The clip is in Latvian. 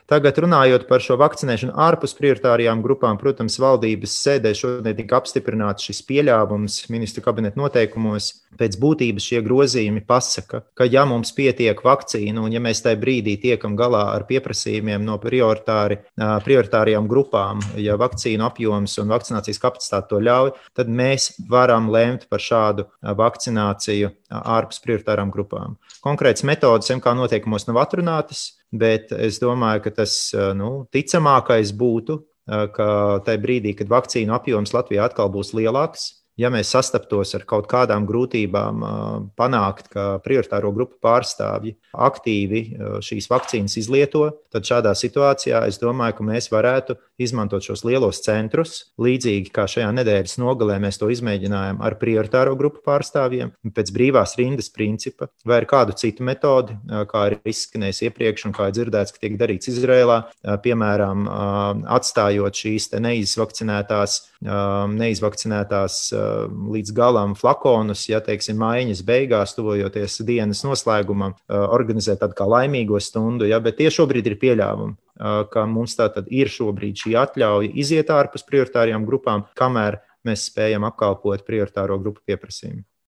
Tagad runājot par šo vakcinēšanu ārpus prioritārajām grupām, protams, valdības sēdē šodien tika apstiprināts šis pieļāvums ministru kabineta noteikumos. Pēc būtības šie grozījumi pasaka, ka ja mums pietiek vakcīnu un ja mēs tajā brīdī tiekam galā ar pieprasījumiem no prioritārajām grupām, ja vakcīnu apjoms un vakcinācijas kapacitāte to ļauj, tad mēs varam lemt par šādu vakcināciju ārpus prioritārām grupām. Konkrētas metodas MK noteikumos nav atrunātas, bet es domāju, ka tas ticamākais būtu, ka tajā brīdī, kad vakcīnu apjoms Latvijā atkal būs lielāks, ja mēs sastaptos ar kaut kādām grūtībām panākt, ka prioritāro grupu pārstāvji aktīvi šīs vakcīnas izlieto, tad šādā situācijā es domāju, ka mēs varētu izmantot šos lielos centrus, līdzīgi kā šajā nedēļas nogalē mēs to izmēģinājām ar prioritāro grupu pārstāvjiem, pēc brīvās rindas principa, vai ar kādu citu metodi, kā ir izskanējis iepriekš un kā ir dzirdēts, ka tiek darīts Izrēlā, piemēram, atstājot šīs te neizvakcinētās līdz galam flakonus, ja teiksim mājiņas beigās, tuvojoties dienas noslēgumam, organizēt tādu kā laimīgo stundu, ja, bet tie šobrīd ir pieļāvumi, ka mums tātad ir šobrīd šī atļauja iziet ārpus prioritārajām grupām, kamēr mēs spējam apkalpot prioritāro grupu pieprasījumu.